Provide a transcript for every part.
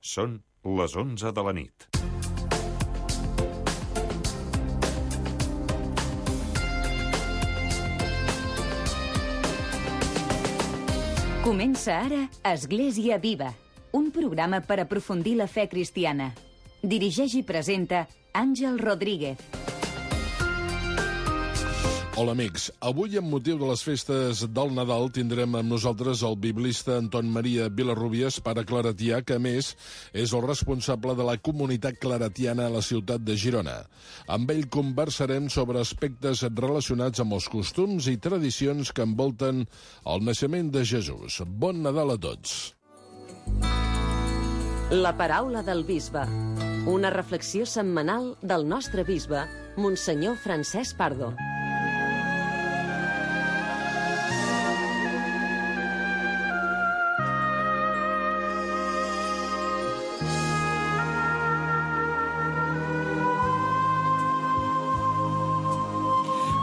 Són les 11 de la nit. Comença ara Església Viva, un programa per aprofundir la fe cristiana. Dirigeix i presenta Àngel Rodríguez. Hola amics, avui amb motiu de les festes del Nadal tindrem amb nosaltres el biblista Anton Maria Vilarrubias, pare claretià, que a més és el responsable de la comunitat claretiana a la ciutat de Girona. Amb ell conversarem sobre aspectes relacionats amb els costums i tradicions que envolten el naixement de Jesús. Bon Nadal a tots! La paraula del bisbe. Una reflexió setmanal del nostre bisbe, Monsenyor Francesc Pardo.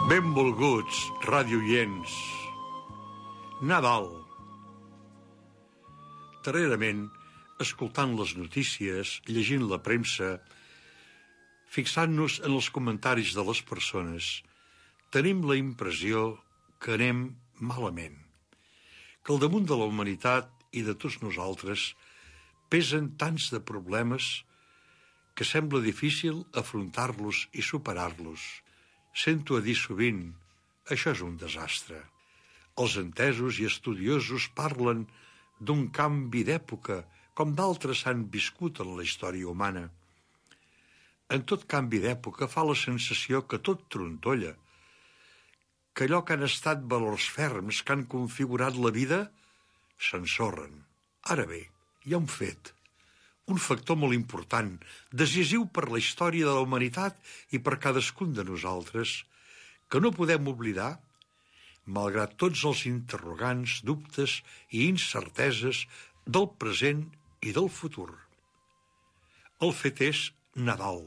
Benvolguts, radioients. Nadal. Darrerament, escoltant les notícies, llegint la premsa, fixant-nos en els comentaris de les persones, tenim la impressió que anem malament, que al damunt de la humanitat i de tots nosaltres pesen tants de problemes que sembla difícil afrontar-los i superar-los. Sento a dir sovint, això és un desastre. Els entesos i estudiosos parlen d'un canvi d'època, com d'altres han viscut en la història humana. En tot canvi d'època fa la sensació que tot trontolla, que allò que han estat valors ferms que han configurat la vida s'ensorren. Ara bé, hi ha un fet, un factor molt important, decisiu per la història de la humanitat i per cadascun de nosaltres, que no podem oblidar, malgrat tots els interrogants, dubtes i incerteses del present i del futur. El fet és Nadal,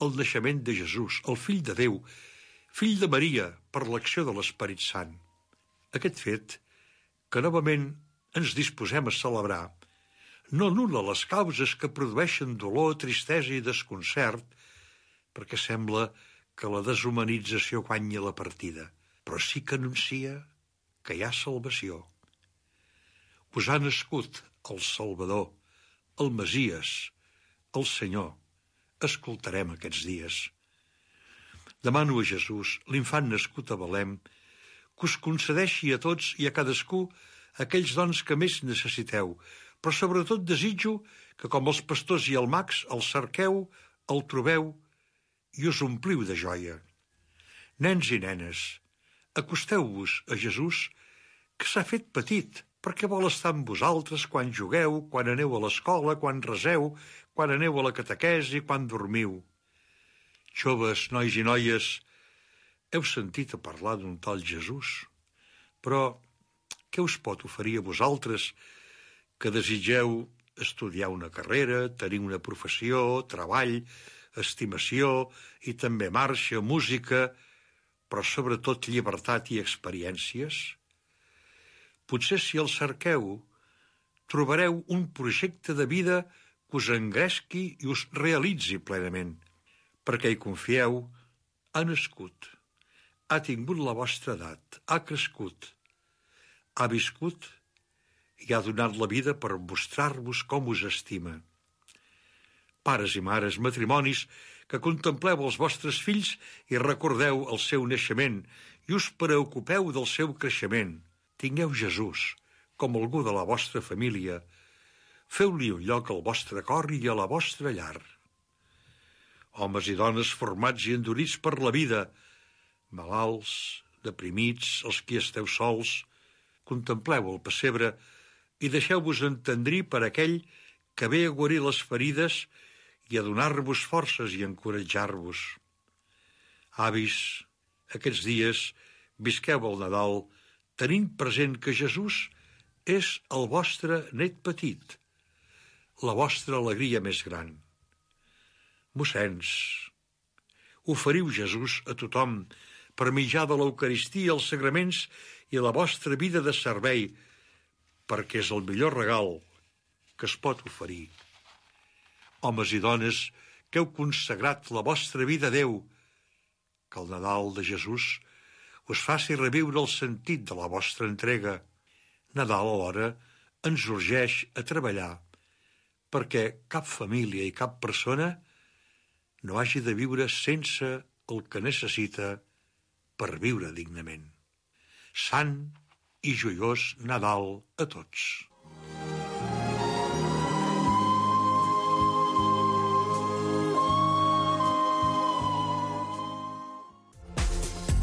el naixement de Jesús, el fill de Déu, fill de Maria per l'acció de l'Esperit Sant. Aquest fet, que novament ens disposem a celebrar, no anul·la les causes que produeixen dolor, tristesa i desconcert, perquè sembla que la deshumanització guanya la partida, però sí que anuncia que hi ha salvació. Us ha nascut el Salvador, el Messies, el Senyor. Escoltarem aquests dies. Demano a Jesús, l'infant nascut a Belém, que us concedeixi a tots i a cadascú aquells dons que més necessiteu, però sobretot desitjo que, com els pastors i els mags, el cerqueu, el trobeu i us ompliu de joia. Nens i nenes, acosteu-vos a Jesús, que s'ha fet petit, perquè vol estar amb vosaltres quan jugueu, quan aneu a l'escola, quan reseu, quan aneu a la catequesi, quan dormiu. Joves, nois i noies, heu sentit a parlar d'un tal Jesús? Però què us pot oferir a vosaltres que desitgeu estudiar una carrera, tenir una professió, treball, estimació i també marxa, música, però sobretot llibertat i experiències? Potser si el cerqueu, trobareu un projecte de vida que us engresqui i us realitzi plenament, perquè hi confieu, ha nascut, ha tingut la vostra edat, ha crescut, ha viscut i ha donat la vida per mostrar-vos com us estima. Pares i mares, matrimonis, que contempleu els vostres fills i recordeu el seu naixement i us preocupeu del seu creixement. Tingueu Jesús com algú de la vostra família. Feu-li un lloc al vostre cor i a la vostra llar. Homes i dones formats i endurits per la vida, malalts, deprimits, els qui esteu sols, contempleu el pessebre i deixeu-vos entendrir per aquell que ve a guarir les ferides i a donar-vos forces i encoratjar-vos. Avis, aquests dies visqueu el Nadal tenint present que Jesús és el vostre net petit, la vostra alegria més gran. Mossens, oferiu Jesús a tothom per mitjà de l'Eucaristia, els sagraments i la vostra vida de servei, perquè és el millor regal que es pot oferir. Homes i dones que heu consagrat la vostra vida a Déu, que el Nadal de Jesús us faci reviure el sentit de la vostra entrega. Nadal, alhora, ens urgeix a treballar perquè cap família i cap persona no hagi de viure sense el que necessita per viure dignament. Sant i joiós Nadal a tots.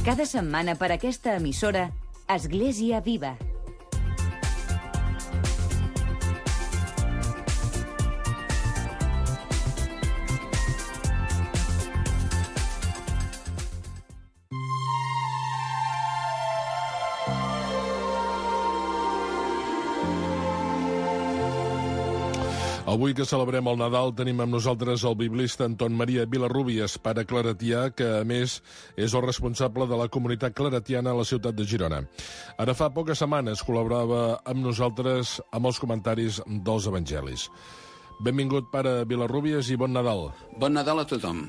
Cada setmana per aquesta emissora, Església Viva. Avui que celebrem el Nadal tenim amb nosaltres el biblista Anton Maria Vilarrubias, pare claretià, que a més és el responsable de la comunitat claretiana a la ciutat de Girona. Ara fa poques setmanes col·laborava amb nosaltres amb els comentaris dels evangelis. Benvingut, pare Vilarrubias, i bon Nadal. Bon Nadal a tothom.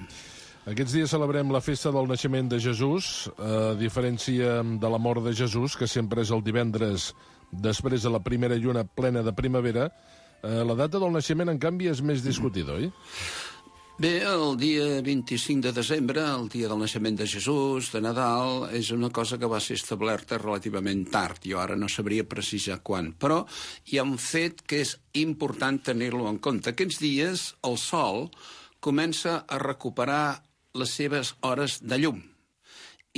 Aquests dies celebrem la festa del naixement de Jesús, a diferència de la mort de Jesús, que sempre és el divendres després de la primera lluna plena de primavera. La data del naixement, en canvi, és més discutida, oi? Bé, el dia 25 de desembre, el dia del naixement de Jesús, de Nadal, és una cosa que va ser establerta relativament tard. Jo ara no sabria precisar quan, però hi ha un fet que és important tenir-lo en compte. Aquests dies el sol comença a recuperar les seves hores de llum.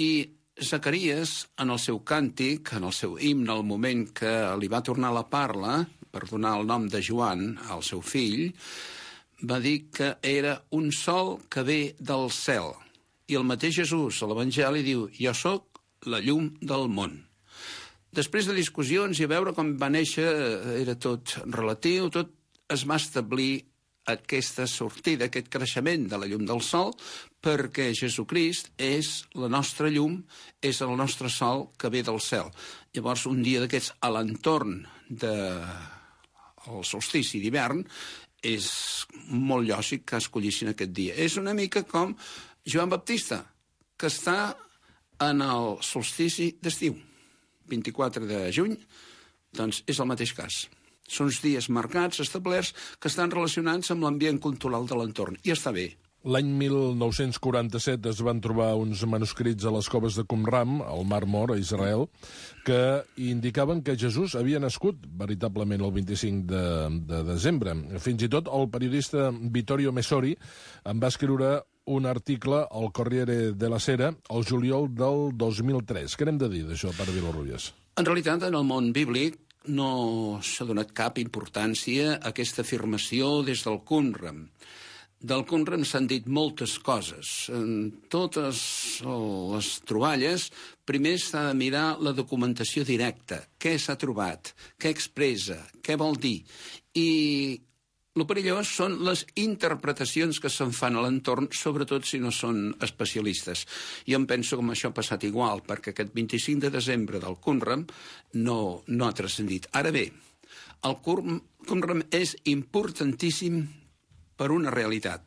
I Zacaries, en el seu càntic, en el seu himne, al moment que li va tornar la parla, per donar el nom de Joan al seu fill, va dir que era un sol que ve del cel. I el mateix Jesús, a l'Evangeli, diu: jo sóc la llum del món. Després de discussions i a veure com va néixer, era tot relatiu, tot es va establir aquesta sortida, aquest creixement de la llum del sol, perquè Jesucrist és la nostra llum, és el nostre sol que ve del cel. Llavors, un dia d'aquests, a l'entorn del solstici d'hivern, és molt lògic que escollissin aquest dia. És una mica com Joan Baptista, que està en el solstici d'estiu. 24 de juny, doncs és el mateix cas. Són uns dies marcats, establerts, que estan relacionats amb l'ambient cultural de l'entorn. I està bé. L'any 1947 es van trobar uns manuscrits a les coves de Qumran, al Mar Mort, a Israel, que indicaven que Jesús havia nascut veritablement el 25 de desembre. Fins i tot el periodista Vittorio Messori en va escriure un article al Corriere della Sera el juliol del 2003. Què n'hem de dir d'això, pare Vilarrubias? En realitat, en el món bíblic no s'ha donat cap importància a aquesta afirmació des del Qumran. Del Qumran s'han dit moltes coses. En totes les troballes, primer s'ha de mirar la documentació directa. Què s'ha trobat? Què expressa? Què vol dir? I el perillós són les interpretacions que se'n fan a l'entorn, sobretot si no són especialistes. Jo em penso que això ha passat igual, perquè aquest 25 de desembre del Qumran no ha transcendit. Ara bé, el Qumran és importantíssim per una realitat,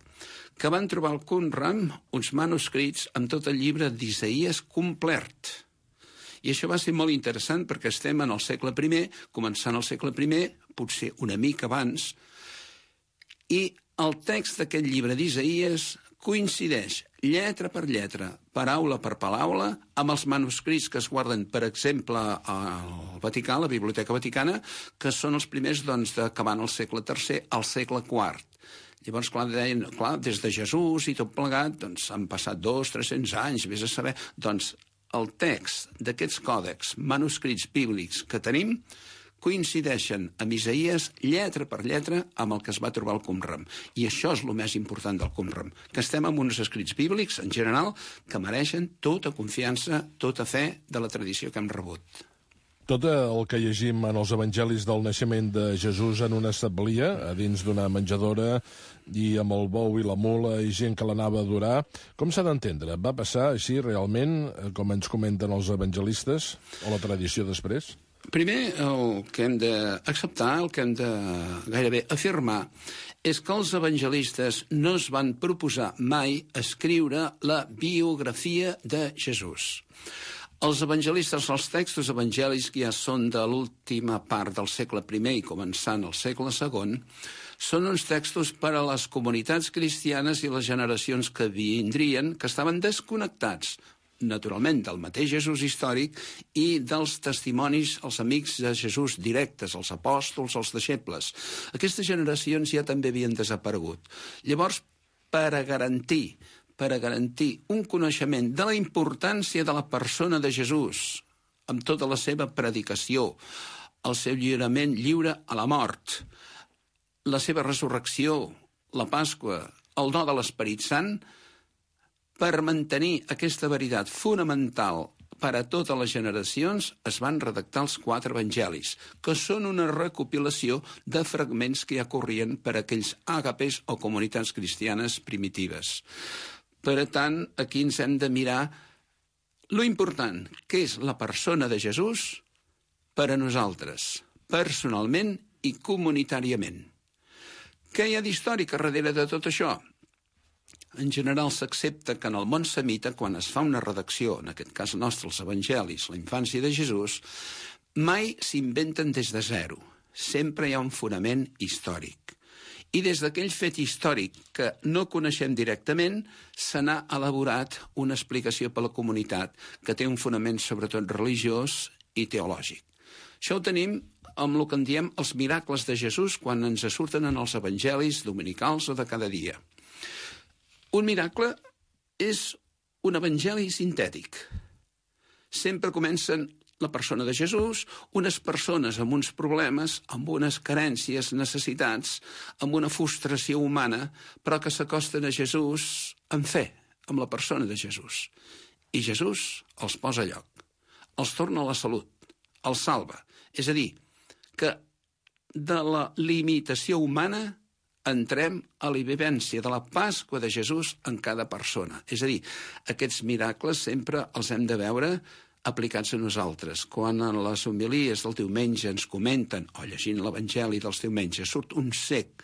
que van trobar al Qumran uns manuscrits amb tot el llibre d'Isaïes complet. I això va ser molt interessant perquè estem en el segle I, començant el segle I, potser una mica abans, i el text d'aquest llibre d'Isaïes coincideix lletra per lletra, paraula per paraula, amb els manuscrits que es guarden, per exemple, al Vaticà, la Biblioteca Vaticana, que són els primers d'acabant el segle III al segle IV. Llavors, deien, des de Jesús i tot plegat, han passat 200-300 anys, vés a saber. Doncs el text d'aquests còdecs manuscrits bíblics que tenim coincideixen amb Isaïes lletra per lletra amb el que es va trobar al Qumran. I això és el més important del Qumran, que estem amb uns escrits bíblics, en general, que mereixen tota confiança, tota fe de la tradició que hem rebut. Tot el que llegim en els evangelis del naixement de Jesús en una establia, a dins d'una menjadora, i amb el bou i la mula i gent que l'anava a adorar, com s'ha d'entendre? Va passar així realment, com ens comenten els evangelistes, o la tradició després? Primer, el que hem d'acceptar, el que hem de gairebé afirmar, és que els evangelistes no es van proposar mai escriure la biografia de Jesús. Els evangelistes, els textos evangèlics, que ja són de l'última part del segle I i començant el segle II, són uns textos per a les comunitats cristianes i les generacions que vindrien, que estaven desconnectats, naturalment, del mateix Jesús històric i dels testimonis, els amics de Jesús directes, els apòstols, els deixebles. Aquestes generacions ja també havien desaparegut. Llavors, per a garantir un coneixement de la importància de la persona de Jesús, amb tota la seva predicació, el seu lliurament lliure a la mort, la seva resurrecció, la Pasqua, el do de l'Esperit Sant, per mantenir aquesta veritat fonamental per a totes les generacions, es van redactar els 4 evangelis, que són una recopilació de fragments que ja corrien per a aquells àgapes o comunitats cristianes primitives. Per tant, aquí ens hem de mirar lo important que és la persona de Jesús per a nosaltres, personalment i comunitàriament. Què hi ha d'històric darrere de tot això? En general s'accepta que en el món semita, quan es fa una redacció, en aquest cas nostre, els evangelis, la infància de Jesús, mai s'inventen des de zero. Sempre hi ha un fonament històric. I des d'aquell fet històric que no coneixem directament, se n'ha elaborat una explicació per a la comunitat que té un fonament sobretot religiós i teològic. Això ho tenim amb el que en diem els miracles de Jesús quan ens surten en els evangelis dominicals o de cada dia. Un miracle és un evangeli sintètic. Sempre comencen la persona de Jesús, unes persones amb uns problemes, amb unes carències, necessitats, amb una frustració humana, però que s'acosten a Jesús amb fe, amb la persona de Jesús. I Jesús els posa a lloc, els torna a la salut, els salva. És a dir, que de la limitació humana entrem a la vivència de la Pasqua de Jesús en cada persona. És a dir, aquests miracles sempre els hem de veure aplicats a nosaltres. Quan en les homilies del diumenge ens comenten, o llegint l'Evangeli dels diumenges, surt un cec,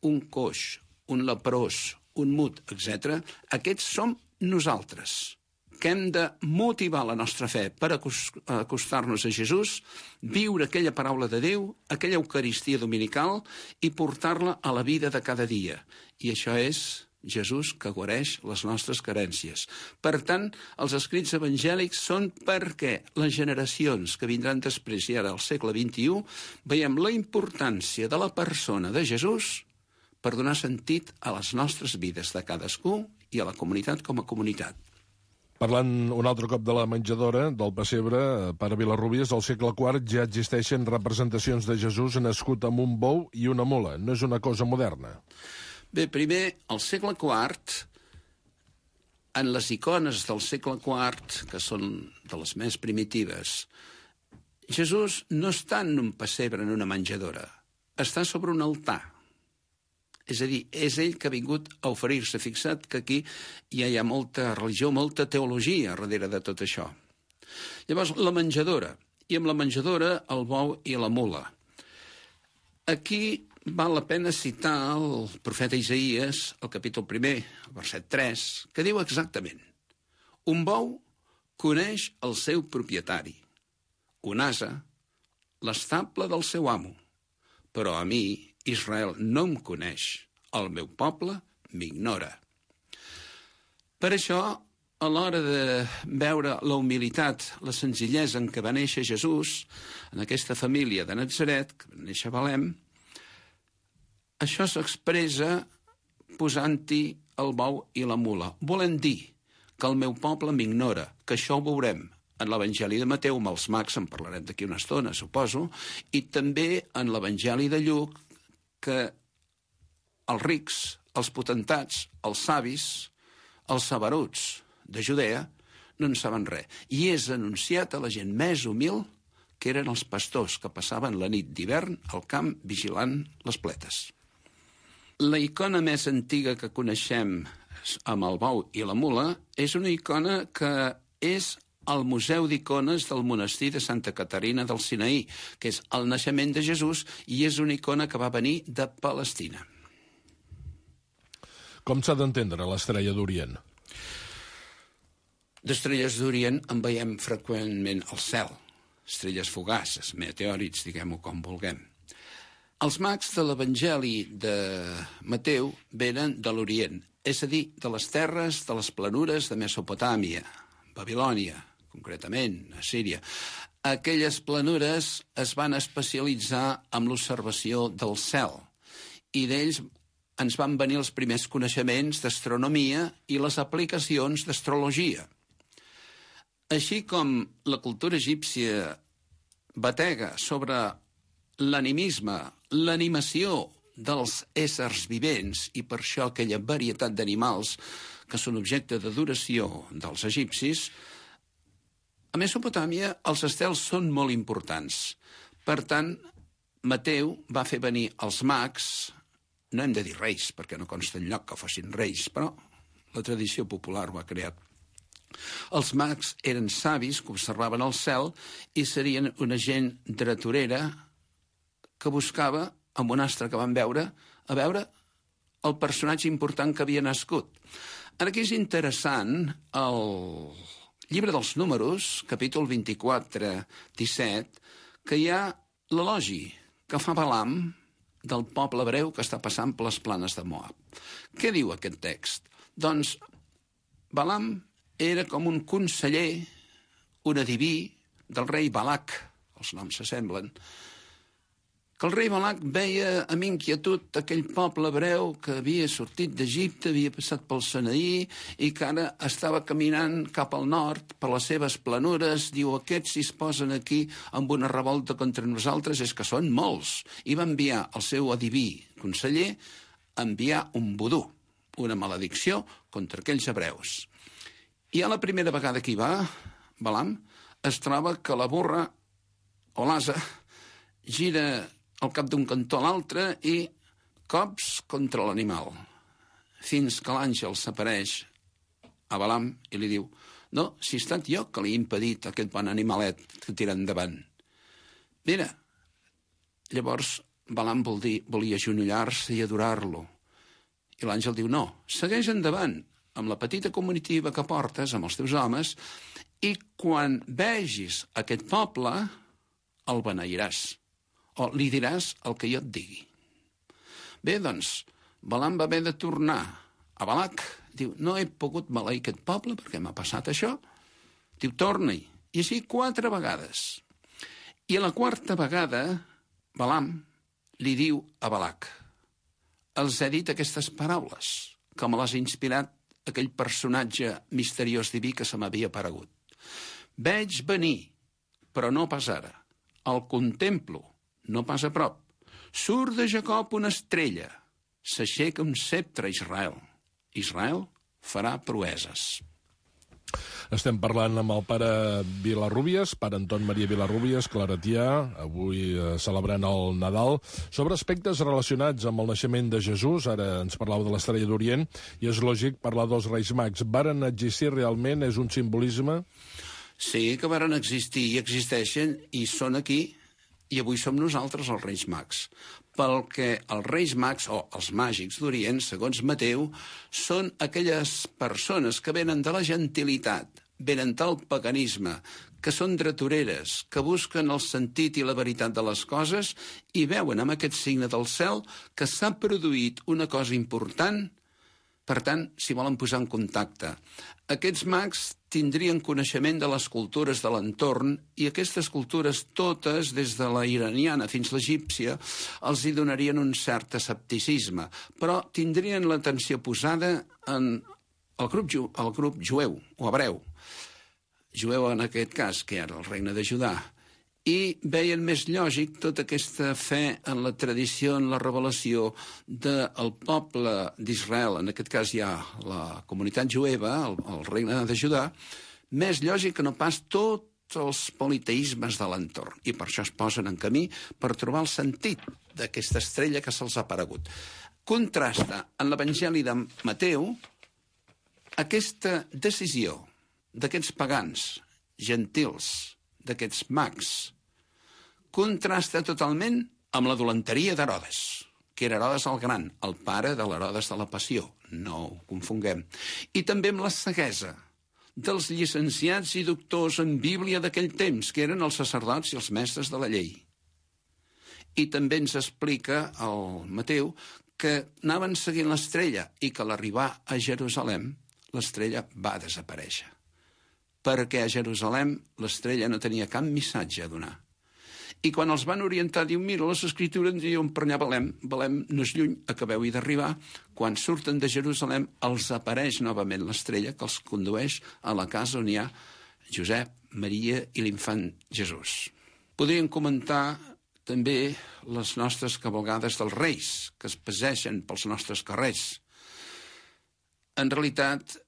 un coix, un leprós, un mut, etc., aquests som nosaltres, que hem de motivar la nostra fe per acostar-nos a Jesús, viure aquella paraula de Déu, aquella Eucaristia dominical i portar-la a la vida de cada dia. I això és Jesús que guareix les nostres carències. Per tant, els escrits evangèlics són perquè les generacions que vindran després i ara al segle XXI veiem la importància de la persona de Jesús per donar sentit a les nostres vides de cadascú i a la comunitat com a comunitat. Parlant un altre cop de la menjadora, del pessebre, pare Vilarrubias, al segle IV ja existeixen representacions de Jesús nascut amb un bou i una mula. No és una cosa moderna. Bé, primer, al segle IV, en les icones del segle IV, que són de les més primitives, Jesús no està en un pessebre, en una menjadora. Està sobre un altar. És a dir, és ell que ha vingut a oferir-se. Fixa't que aquí ja hi ha molta religió, molta teologia darrere de tot això. Llavors, la menjadora. I amb la menjadora, el bou i la mula. Aquí val la pena citar el profeta Isaïes, el capítol 1, el verset 3, que diu exactament: un bou coneix el seu propietari, un ase, l'estable del seu amo, però a mi, Israel no em coneix, el meu poble m'ignora. Per això, a l'hora de veure la humilitat, la senzillesa en què va néixer Jesús, en aquesta família de Natzaret, que va néixer a Belém, això s'expressa posant-hi el bou i la mula. Volen dir que el meu poble m'ignora, que això ho veurem en l'Evangeli de Mateu, amb els mags en parlarem d'aquí una estona, suposo, i també en l'Evangeli de Lluc, que els rics, els potentats, els savis, els saberuts de Judea no en saben res. I és anunciat a la gent més humil, que eren els pastors que passaven la nit d'hivern al camp vigilant les pletes. La icona més antiga que coneixem amb el bou i la mula és una icona que és al Museu d'Icones del monestir de Santa Caterina del Sinaí, que és el naixement de Jesús i és una icona que va venir de Palestina. Com s'ha d'entendre l'estrella d'Orient? D'estrelles d'Orient en veiem freqüentment al cel, estrelles fugaces, meteòrits, diguem-ho com vulguem. Els mags de l'Evangeli de Mateu venen de l'Orient, és a dir, de les terres, de les planures de Mesopotàmia, Babilònia, concretament, a Síria. Aquelles planures es van especialitzar en l'observació del cel i d'ells ens van venir els primers coneixements d'astronomia i les aplicacions d'astrologia. Així com la cultura egípcia batega sobre l'animisme, l'animació dels éssers vivents i per això aquella varietat d'animals que són objecte d'adoració dels egipcis, a Mesopotàmia els estels són molt importants. Per tant, Mateu va fer venir els mags, no hem de dir reis, perquè no consta enlloc que fossin reis, però la tradició popular ho ha creat. Els mags eren savis que observaven el cel i serien una gent dreturera que buscava, amb un astre que van veure, a veure el personatge important que havia nascut. Ara aquí és interessant el llibre dels números, capítol 24, 17, que hi ha l'elogi que fa Balam del poble hebreu que està passant per les planes de Moab. Què diu aquest text? Doncs Balam era com un conseller, un adiví del rei Balac, els noms s'assemblen, que el rei Balac veia amb inquietud aquell poble hebreu que havia sortit d'Egipte, havia passat pel Sinaí i que ara estava caminant cap al nord per les seves planures. Diu, aquests si es posen aquí amb una revolta contra nosaltres és que són molts. I va enviar el seu adiví conseller a enviar un vodú, una maledicció contra aquells hebreus. I a la primera vegada que hi va, Balam, es troba que la burra o l'asa gira al cap d'un cantó a l'altre i cops contra l'animal, fins que l'àngel s'apareix a Balam i li diu, no, si he estat jo que li he impedit aquest bon animalet que tira endavant. Mira, llavors Balam volia agenollar-se i adorar-lo. I l'àngel diu, no, segueix endavant, amb la petita comitiva que portes, amb els teus homes, i quan vegis aquest poble, el beneiràs, o li diràs el que jo et digui. Bé, doncs, Balam va haver de tornar a Balac. Diu, no he pogut maleir aquest poble perquè m'ha passat això. Diu, torna-hi. I així 4 vegades. I a la 4ª vegada, Balam li diu a Balac, els he dit aquestes paraules, que me les ha inspirat aquell personatge misteriós diví que se m'havia aparegut. Veig venir, però no pas ara. El contemplo, no pas a prop. Surt de Jacob una estrella. S'aixeca un sceptre a Israel. Israel farà proeses. Estem parlant amb el pare Vilarrubias, pare Anton Maria Vilarrubias, claretià, avui celebrant el Nadal, sobre aspectes relacionats amb el naixement de Jesús. Ara ens parlàveu de l'estrella d'Orient, i és lògic parlar dels Reis Mags. Varen existir realment? És un simbolisme? Sí, que varen existir i existeixen i són aquí, i avui som nosaltres els Reis Mags. Pel que els Reis Mags, o els màgics d'Orient, segons Mateu, són aquelles persones que venen de la gentilitat, venen del paganisme, que són dretoreres, que busquen el sentit i la veritat de les coses i veuen amb aquest signe del cel que s'ha produït una cosa important. Per tant, s'hi volen posar en contacte. Aquests mags tindrien coneixement de les cultures de l'entorn i aquestes cultures totes, des de la iraniana fins a l'egípcia, els hi donarien un cert escepticisme, però tindrien l'atenció posada en el grup jueu o hebreu. Jueu en aquest cas, que era el regne de Judà, i veien més lògic tota aquesta fe en la tradició, en la revelació del poble d'Israel, en aquest cas hi ha la comunitat jueva, el regne de Judà, més lògic que no pas tots els politeismes de l'entorn. I per això es posen en camí per trobar el sentit d'aquesta estrella que se'ls ha aparegut. Contrasta en l'Evangeli de Mateu aquesta decisió d'aquests pagans gentils, d'aquests mags, contrasta totalment amb la dolenteria d'Herodes, que era Herodes el Gran, el pare de l'Herodes de la Passió, no ho confonguem, i també amb la ceguesa dels llicenciats i doctors en Bíblia d'aquell temps, que eren els sacerdots i els mestres de la llei. I també ens explica el Mateu que anaven seguint l'estrella i que a l'arribar a Jerusalem l'estrella va desaparèixer. Perquè a Jerusalem l'estrella no tenia cap missatge a donar. I quan els van orientar, diu, mira, les escritures diuen per allà Belem no és lluny, acabeu-hi d'arribar. Quan surten de Jerusalem els apareix novament l'estrella que els condueix a la casa on hi ha Josep, Maria i l'infant Jesús. Podríem comentar també les nostres cavalgades dels Reis, que es passegen pels nostres carrers. En realitat,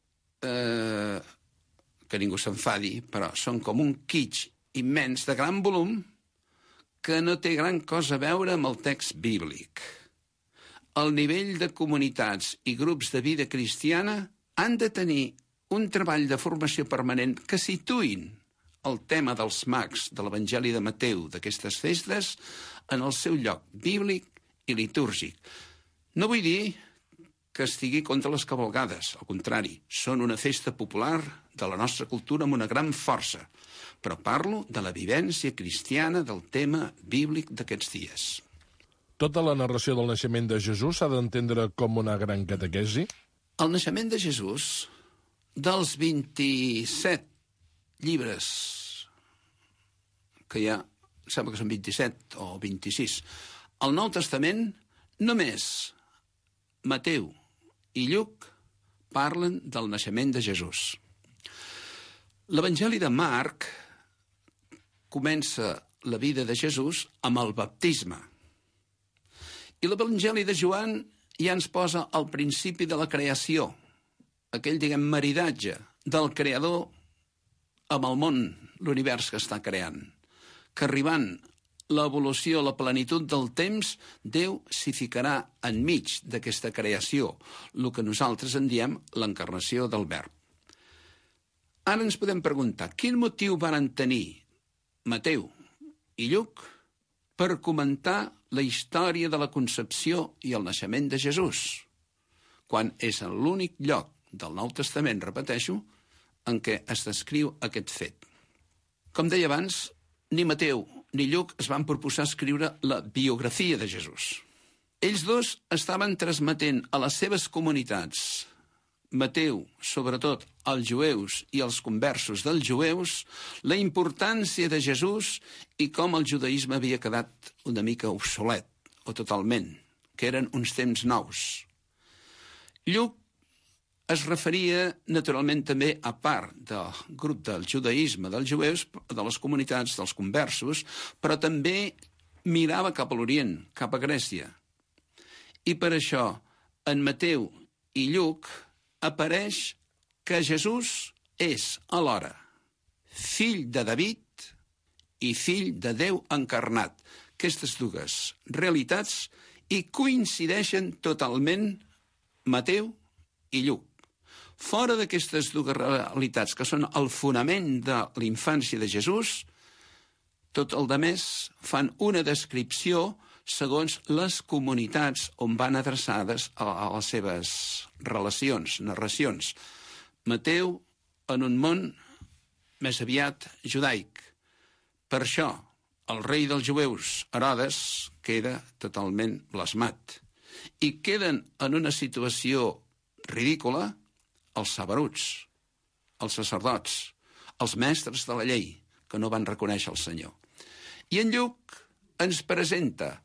que ningú s'enfadi, però són com un kitsch immens de gran volum que no té gran cosa a veure amb el text bíblic. El nivell de comunitats i grups de vida cristiana han de tenir un treball de formació permanent que situïn el tema dels mags de l'Evangeli de Mateu d'aquestes festes en el seu lloc bíblic i litúrgic. No vull dir que estigui contra les cavalgades, al contrari, són una festa popular de la nostra cultura amb una gran força, però parlo de la vivència cristiana del tema bíblic d'aquests dies. Tota la narració del naixement de Jesús s'ha d'entendre com una gran catequesi? El naixement de Jesús, dels 27 llibres que hi ha, sembla que són 27 o 26, al Nou Testament només Mateu i Lluc parlen del naixement de Jesús. L'Evangeli de Marc comença la vida de Jesús amb el baptisme. I l'Evangeli de Joan ja ens posa al principi de la creació, aquell, maridatge del creador amb el món, l'univers que està creant, que arribant l'evolució, la plenitud del temps, Déu s'hi ficarà enmig d'aquesta creació, el que nosaltres en diem l'encarnació del Verb. Ara ens podem preguntar, quin motiu varen tenir Mateu i Lluc per comentar la història de la concepció i el naixement de Jesús, quan és l'únic lloc del Nou Testament, repeteixo, en què es descriu aquest fet. Com deia abans, ni Mateu ni Lluc es van proposar escriure la biografia de Jesús. Ells dos estaven transmetent a les seves comunitats, Mateu, sobretot als jueus i als conversos dels jueus, la importància de Jesús i com el judaïsme havia quedat una mica obsolet, o totalment, que eren uns temps nous. Lluc es referia naturalment també a part del grup del judaïsme dels jueus, de les comunitats dels conversos, però també mirava cap a l'Orient, cap a Grècia. I per això, en Mateu i Lluc apareix que Jesús és alhora fill de David i fill de Déu encarnat. Aquestes dues realitats i coincideixen totalment Mateu i Lluc. Fora d'aquestes dues realitats, que són el fonament de la infància de Jesús, tot el demés fan una descripció segons les comunitats on van adreçades a les seves relacions, narracions. Mateu en un món més aviat judaic. Per això, el rei dels jueus, Herodes, queda totalment blasmat. I queden en una situació ridícula els saberuts, els sacerdots, els mestres de la llei, que no van reconèixer el Senyor. I en Lluc ens presenta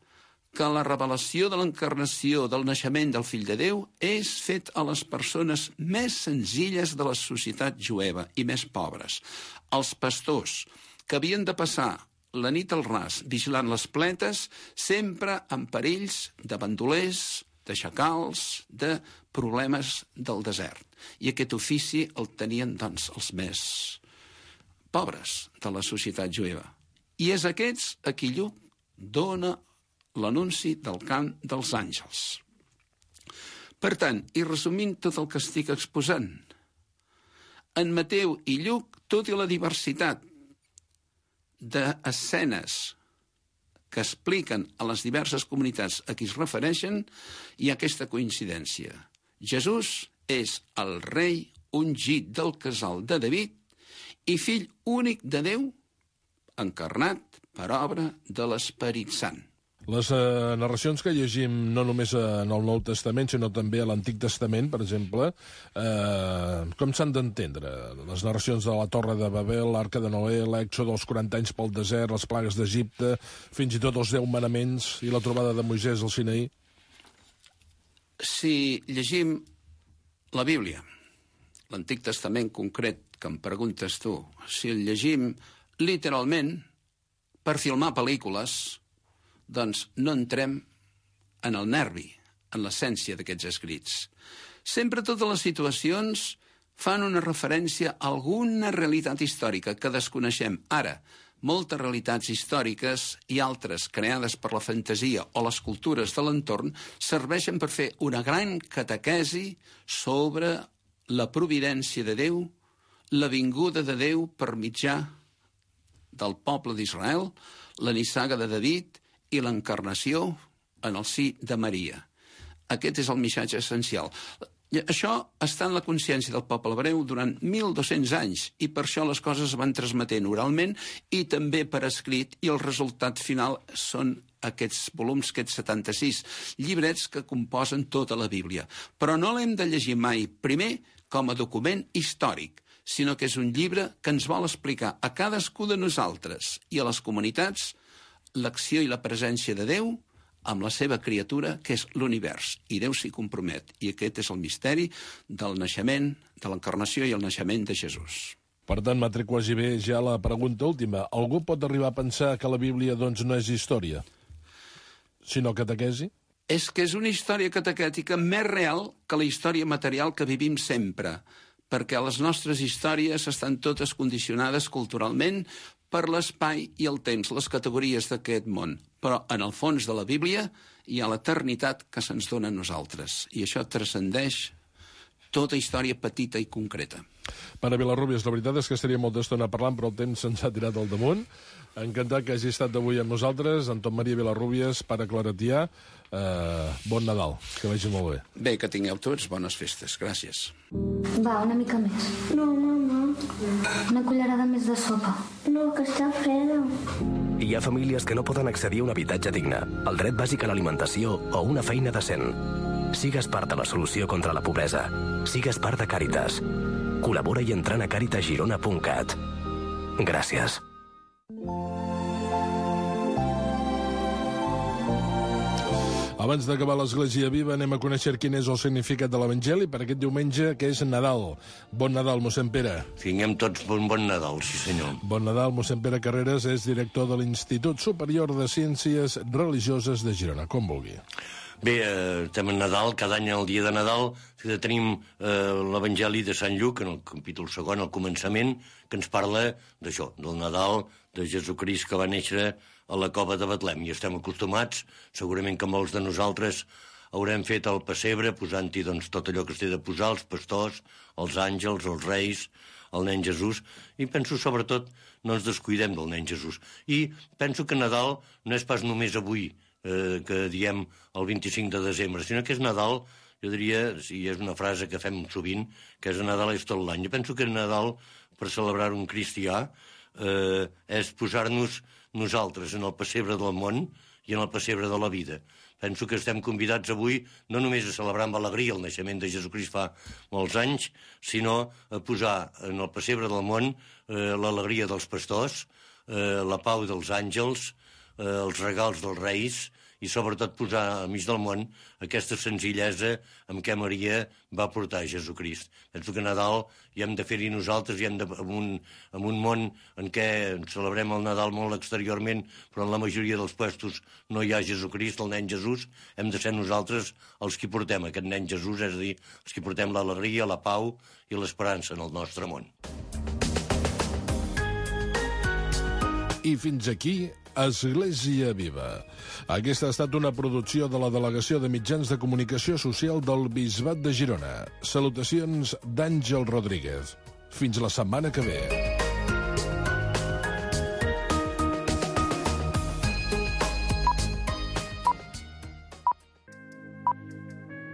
que la revelació de l'encarnació del naixement del Fill de Déu és fet a les persones més senzilles de la societat jueva i més pobres, els pastors, que havien de passar la nit al ras vigilant les pletes, sempre amb perills de bandolers, de xacals, de problemes del desert. I aquest ofici el tenien, doncs, els més pobres de la societat jueva. I és aquests a qui Lluc dona l'anunci del cant dels àngels. Per tant, i resumint tot el que estic exposant, en Mateu i Lluc, tot i la diversitat d'escenes que expliquen a les diverses comunitats a qui es refereixen, hi ha aquesta coincidència. Jesús és el rei ungit del casal de David i fill únic de Déu, encarnat per obra de l'Esperit Sant. Les narracions que llegim no només en el Nou Testament, sinó també a l'Antic Testament, per exemple, com s'han d'entendre? Les narracions de la Torre de Babel, l'Arca de Noé, l'Èxode, els 40 anys pel desert, les plagues d'Egipte, fins i tot els 10 manaments i la trobada de Moisès al Sinaí? Si llegim la Bíblia, l'Antic Testament concret, que em preguntes tu, si el llegim literalment per filmar pel·lícules, doncs no entrem en el nervi, en l'essència d'aquests escrits. Sempre totes les situacions fan una referència a alguna realitat històrica que desconeixem. Ara, moltes realitats històriques i altres creades per la fantasia o les cultures de l'entorn serveixen per fer una gran catequesi sobre la providència de Déu, la vinguda de Déu per mitjà del poble d'Israel, la nissaga de David i l'encarnació en el si de Maria. Aquest és el missatge essencial. Això està en la consciència del poble hebreu durant 1.200 anys i per això les coses es van transmetent oralment i també per escrit, i el resultat final són aquests volums, aquests 76 llibrets que composen tota la Bíblia. Però no l'hem de llegir mai, primer, com a document històric, sinó que és un llibre que ens vol explicar a cadascú de nosaltres i a les comunitats l'acció i la presència de Déu amb la seva criatura, que és l'univers. I Déu s'hi compromet. I aquest és el misteri del naixement, de l'encarnació i el naixement de Jesús. Per tant, m'atrec quasi bé ja la pregunta última. Algú pot arribar a pensar que la Bíblia doncs no és història, sinó catequesi? És que és una història catequètica més real que la història material que vivim sempre, perquè les nostres històries estan totes condicionades culturalment per l'espai i el temps, les categories d'aquest món. Però en el fons de la Bíblia hi ha l'eternitat que se'ns dona a nosaltres, i això transcendeix tota història petita i concreta. Pare Vilarrubias, la veritat és que estaria molta estona parlant, però el temps se'ns ha tirat al damunt. Encantat que hagi estat avui amb nosaltres, Anton Maria Vilarrubias, pare claretià. Bon Nadal, que vagi molt bé. Bé, que tingueu tots bones festes. Gràcies. Va, una mica més. No, mama. Una cullerada més de sopa. No, que està freda. Hi ha famílies que no poden accedir a un habitatge digne, el dret bàsic a l'alimentació o una feina decent. Sigues part de la solució contra la pobresa. Sigues part de Càritas. Col·labora i entrant a caritasgirona.cat. Gràcies. Abans d'acabar l'Església Viva, anem a conèixer quin és el significat de l'Evangeli per aquest diumenge, que és Nadal. Bon Nadal, mossèn Pere. Tinguem tots bon Nadal, sí senyor. Bon Nadal, mossèn Pere Carreras és director de l'Institut Superior de Ciències Religioses de Girona. Com vulgui. Bé, estem en Nadal, cada any el dia de Nadal tenim l'Evangeli de Sant Lluc, en el capítol 2, al començament, que ens parla d'això, del Nadal de Jesucrist que va néixer a la cova de Betlem. I estem acostumats, segurament que molts de nosaltres haurem fet el pessebre posant-hi doncs, tot allò que es té de posar, els pastors, els àngels, els reis, el nen Jesús, i penso sobretot no ens descuidem del nen Jesús. I penso que Nadal no és pas només avui, que diem el 25 de desembre, sinó que és Nadal, jo diria, si és una frase que fem sovint, que és Nadal és tot l'any. Jo penso que Nadal, per celebrar un cristià, és posar-nos nosaltres en el pessebre del món i en el pessebre de la vida. Penso que estem convidats avui no només a celebrar amb alegria el naixement de Jesucrist fa molts anys, sinó a posar en el pessebre del món l'alegria dels pastors, la pau dels àngels, els regals dels reis i sobretot posar al mig del món aquesta senzillesa amb què Maria va portar Jesucrist. Penso que Nadal hi hem de fer-hi nosaltres, en un món en què celebrem el Nadal molt exteriorment, però en la majoria dels puestos no hi ha Jesucrist, el nen Jesús, hem de ser nosaltres els qui portem aquest nen Jesús, és a dir, els qui portem l'alegria, la pau i l'esperança en el nostre món. I fins aquí Església Viva. Aquesta ha estat una producció de la Delegació de Mitjans de Comunicació Social del Bisbat de Girona. Salutacions d'Àngel Rodríguez. Fins la setmana que ve.